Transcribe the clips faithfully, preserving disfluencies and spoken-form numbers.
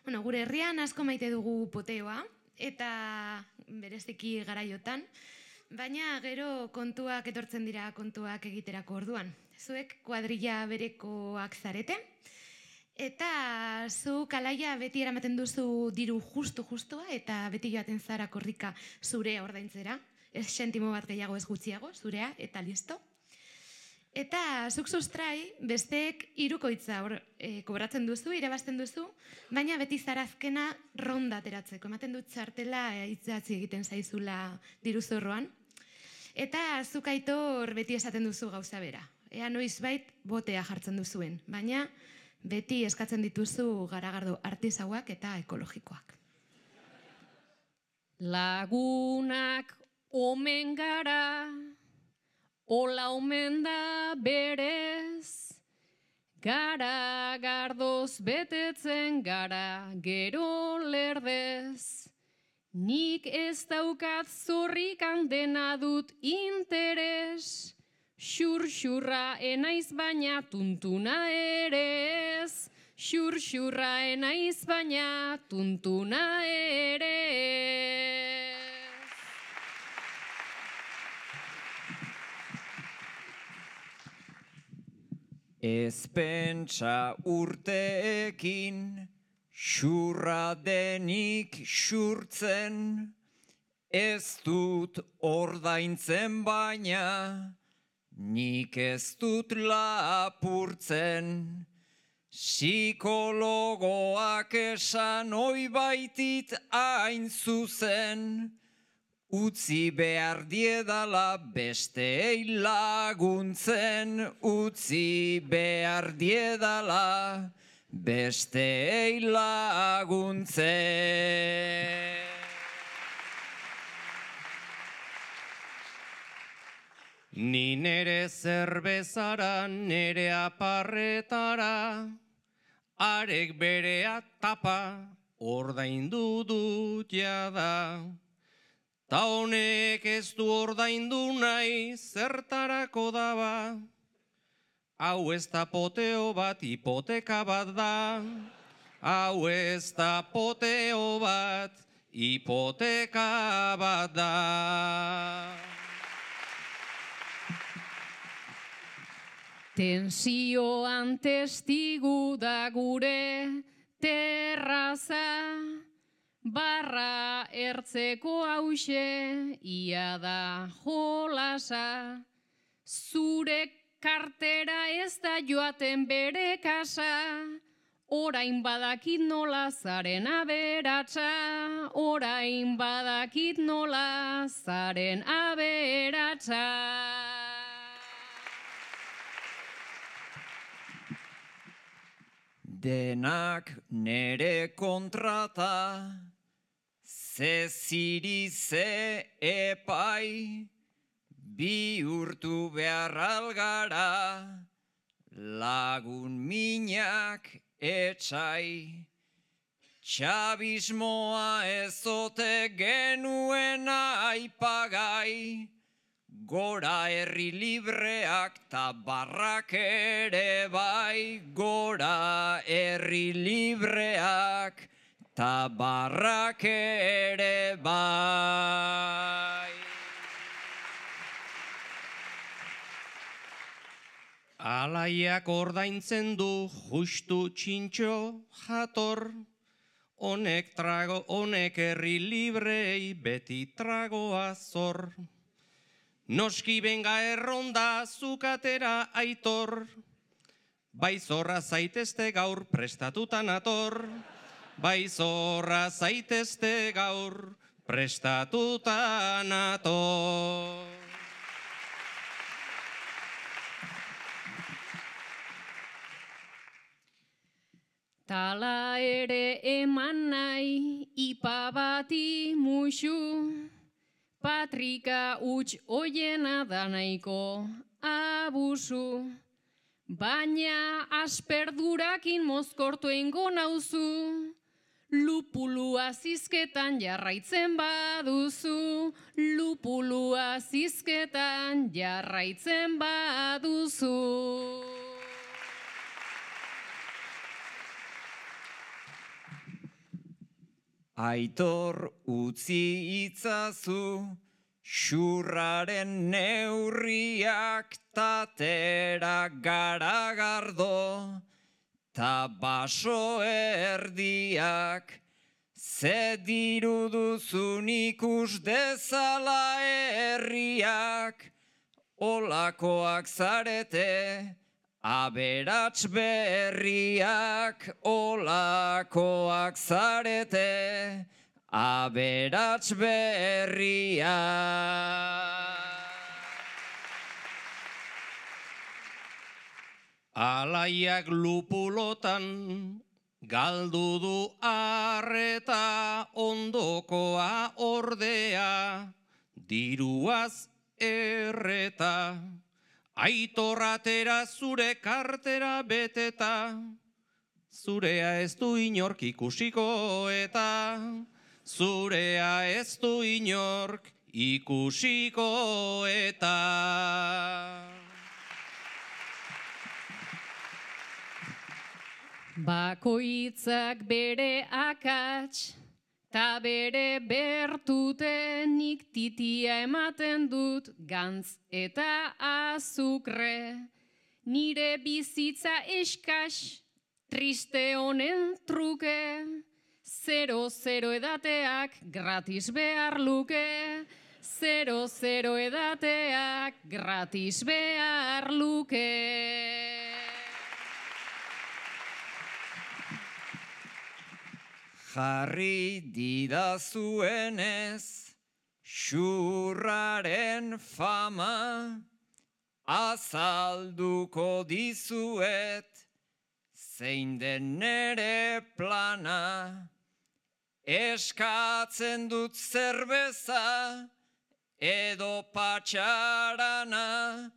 Bueno, gure herrian asko maite dugu poteoa, eta bereziki garaiotan, baina gero kontuak etortzen dira kontuak egiterako orduan. Zuek kuadrilla berekoak zarete, eta zu kalaia beti eramaten duzu diru justu-justua, eta beti joaten zara korrika zurea ordaintzera, ez sentimo bat gehiago ez gutxiago, zurea, eta listo. Eta zuk sustrai, besteek hirukoitza e, kobratzen duzu, irabazten duzu, baina beti zara azkena ronda ateratzeko. Ematen dut txartela e, itzatzi egiten zaizula diruzorroan. Eta zuk Aitor beti esaten duzu gauza bera. Ea noizbait botea jartzen duzuen, baina beti eskatzen dituzu garagardo artisauak eta ekologikoak. Lagunak omen gara, ola omen da berez, gara gardoz betetzen gara gero lerdez. Nik ez daukat zorrikan dena dut interes, xur-xurra enaiz baina tuntuna ere ez, xur-xurra enaiz baina tuntuna ere ez. Ez pentsa urteekin, xurra denik xurtzen, ez dut ordaintzen baina, nik ez dut lapurtzen. Psikologoak esan oi baitit hain zuzen, utzi behar diedala besteei laguntzen, utzi behar diedala besteei laguntzen. Ni nere zerbezara, nere aparretara, arek berea tapa, ordaindu dut jada. Ta honek ez du ordaindu nahi, zertarako daba. Hau ez da poteo bat, hipoteka bat da. Hau ez da poteo bat, hipoteka bat da. Tensioan testigu da gure terraza, barra ertzeko hause, ia da jolasa. Zure kartera ez da joaten bere kasa, orain badakit nola zaren aberatsa, orain badakit nola zaren aberatsa. Denak nere kontrata, ze ziri ze epai, bihurtu behar algara, lagun minak etxai. Txabismoa ezote genuen aipagai, gora herri libreak ta barrak ere bai, gora herri libreak ta barrak ere bai. Alaiak ordaintzen du justu txintxo jator, honek trago, honek herri librei beti tragoa zor. Noski benga erronda zukatera Aitor, bai zorra zaitezte gaur prestatutan ator, bai zorra zaitezte gaur prestatutan ator. Tala ere eman nahi ipa bati musu, patrika huts oiena da nahiko abusu, baina asperdurakin mozkortu eingo nauzu, lupulua zizketan jarraitzen baduzu, lupulua zizketan jarraitzen baduzu. Aitor utzi itzazu, xurraren neurriak tatera garagardo, ta baso erdiak, ze diru duzun ikus dezala herriak, olakoak zarete, aberats berriak, olakoak zarete, aberats berriak. Alaiak lupulotan galdu du arreta, ondokoa ordea diruaz erreta. Aitorratera zure kartera beteta, zurea ez du inork ikusiko eta zurea ez du inork ikusiko eta. Bakoitzak bere akats, ta bere bertutenik titia ematen dut gantz eta azukre. Nire bizitza eskas, triste honen truke, zero-zero edateak gratis behar luke, zero-zero edateak gratis behar luke. Jarri didazuenez, xurraren fama, azalduko dizuet, zein den nere plana. Eskatzen dut zerbeza, edo patxarana,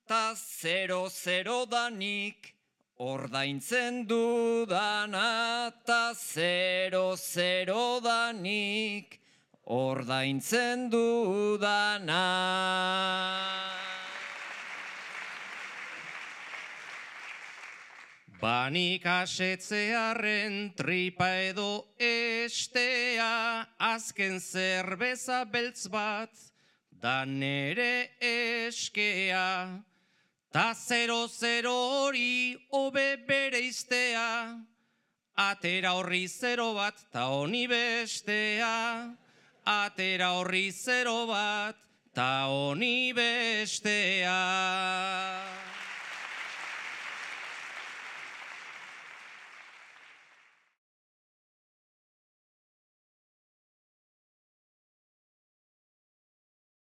ta zero-zero danik, ordaintzen dudana, ta zero-zero danik, ordaintzen dudana. Banik asetzearen tripa edo estea, azken zerbeza beltz bat, da nere eskea. Ta zero-zero hori hobe bere iztea, atera horri zero bat, ta honi bestea. Atera horri zero bat, ta honi bestea.